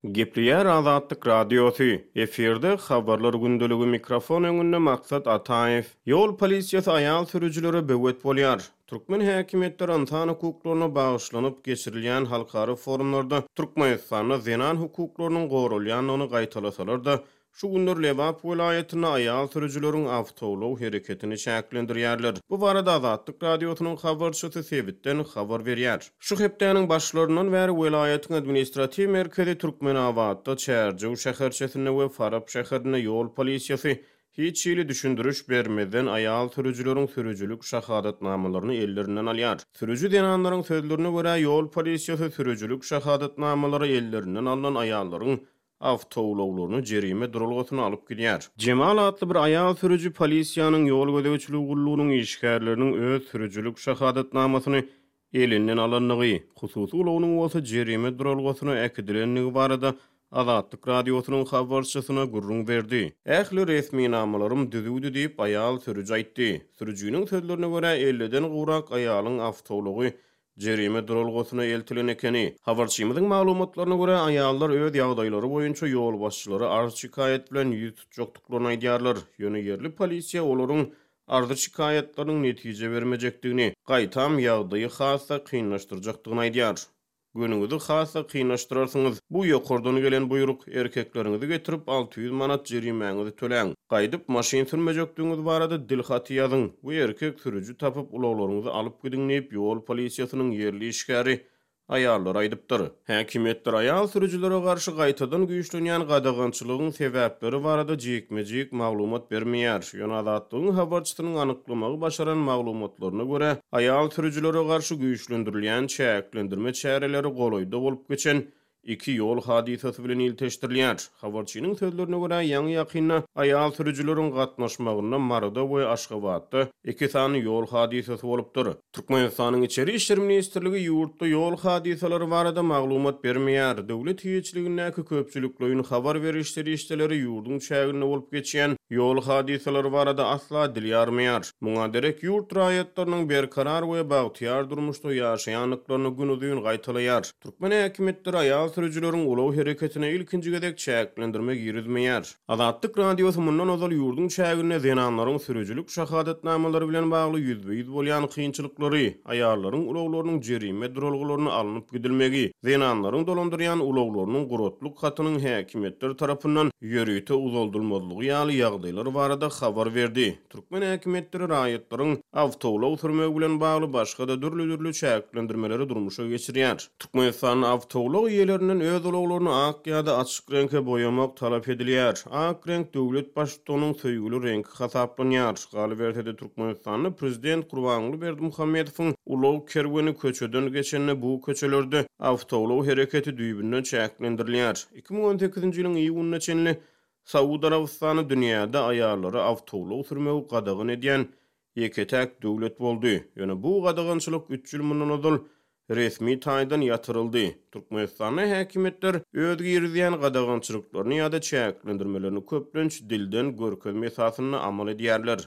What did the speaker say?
Gepleýär Azatlyk Radiosy, Efirde Habarlar gündeligi mikrofon öňünde Maksat Ataýew. Ýol polisiýasy aýal sürüjilere böwet bolýar. Türkmen häkimiýetleri ynsan hukuklaryna bagyşlanyp geçirilýän halkara forumlarda Türkmenistanda zenan hukuklarynyň goralýandygyny gaýtalasalar-da, Şu günler Lebap welaýatynda aýal sürüjileriň awtoulag hereketini çäklendirýärler. Bu barada Azatlyk Radiosynyň habarçysy sebitden habar berýär. Şu hepdäniň başlaryndan bäri welaýatyň administratiw merkezi Türkmenabatda, Çärjew şäherçesinde we Farap şäherinde ýol polisiýasy hiç hili düşündiriş bermezden aýal sürüjileriň sürüjilik şahadatnamalaryny ellerinden alýar. Sürüji zenanlaryň sözlerine görä, ýol polisiýasy sürüjilik şahadatnamalary ellerinden alnan aýallaryň awtoulaglaryny jerime duralgasyna alyp gidýär. Jemal atly bir aýal sürüji polisiýanyň ýol gözegçiligi gullugynyň işgärleriniň öz sürüjilik şahadatnamasyny elinden alandygy, hususy ulagynyň bolsa jerime duralgasyna äkidilendigi barada Azatlyk Radiosynyň habarçysyna gürrüň berdi. Ähli resminamalarym düzüwdi diýip, aýal sürüji aýtdy. Sürüjiniň sözlerine görä, elliden gowrak aýalyň awtoulagy Jerime duralgasyna eltilen ekeni. Habarçymyzyň maglumatlaryna görä, aýallar öz ýagdaýlary boýunça ýolbaşçylara arz-şikaýat bilen ýüz tutjakdyklaryny aýdýarlar. Ýöne ýerli polisiýa olaryň arzy-şikaýatlarynyň netije bermejekdigini, gaýtam, ýagdaýy has-da kynlaşdyrjakdygyny aýdýar. Günüňizi has-da kynlaşdyrarsyňyz. Bu ýokardan gelen buýruk. Erkekleriňizi getirip, 600 manat jerimäňizi töläň. Gaýdyp maşyn sürmejekdigiňiz barada dil haty ýazyň we erkek sürüji tapyp ulaglaryňyzy alyp gidiň diýip, ýol polisiýasynyň ýerli işgäri aýallara aýdypdyr. Häkimiýetler aýal sürüjilere garşy gaýtadan güýçlenýän gadagançylygyň sebäpleri barada jikme-jik maglumat bermeýär. Ýöne Azatlygyň habarçysynyň anyklamagy başaran maglumatlaryna görä, aýal sürüjilere garşy güýçlendirilýän çäklendirme çäreleri golaýda bolup geçen iki ýol hadysasy bilen ilteşdirilýär. Habarçynyň sözlerine görä, ýaňy-ýakynda aýal sürüjileriň gatnaşmagynda Maryda we Aşgabatda iki sany ýol hadysasy bolupdyr. Türkmenistanyň Içeri işler ministrligi ýurtda ýol hadysalary barada maglumat bermeýär. Döwlet eýeçiligindäki köpçülikleýin habar beriş serişdeleri ýurduň çäginde bolup geçýän ýol hadysalary barada asla dil ýarmaýar. Muňa derek ýurt raýatlarynyň berkarar we bagtyýar durmuşda ýaşaýandyklaryny günuzyn gaýtalaýar. Türkmen häkimiýetleri aýal sürüjileriň ulag hereketine ilkinji gezek çäklendirme girizmeýär. Azatlyk Radiosy mundan ozal ýurduň çäginde zenanlaryň sürüjilik şahadatnamalary bilen bagly ýüzbe-ýüz bolýan kynçylyklary, aýallaryň ulaglarynyň jerime duralgalaryna alnyp gidilmegi, zenanlaryň dolandyrýan ulaglarynyň guratlyk hatynyň häkimiýetler tarapyndan ýörite uzaldylmazlygy ýaly ýagdaýlar barada habar berdi. Türkmen häkimiýetleri raýatlaryň awtoulag sürmegi bilen bagly başga-da dürli-dürli çäklendirmeleri durmuşa geçirýär. Türkmenistanda awtoulag eýelerinden öz ulaglaryny ak ýa-da açyk reňke boýamak talap edilýär. Ak reňk döwlet Baştutanynyň söýgüli reňki hasaplanýar. Galyberse-de, Türkmenistanda prezident Gurbanguly Berdimuhamedowyň ulag kerweni köçeden geçende bu köçelerde awtoulag hereketi düýbünden çäklendirilýär. 2018-nji ýylyň iýunyna çenli Saud Arabystany dünýäde aýallara awtoulag sürmegi gadagan edýän ýeke-täk döwlet boldy. Ýöne bu gadagançylyk üç ýyl mundan ozal resmi taýdan ýatyryldy. Türkmenistanda häkimiýetler öz girizýän gadagançylyklaryny ýa-da çäklendirmelerini köplenç dilden görkezme esasynda amal edýärler.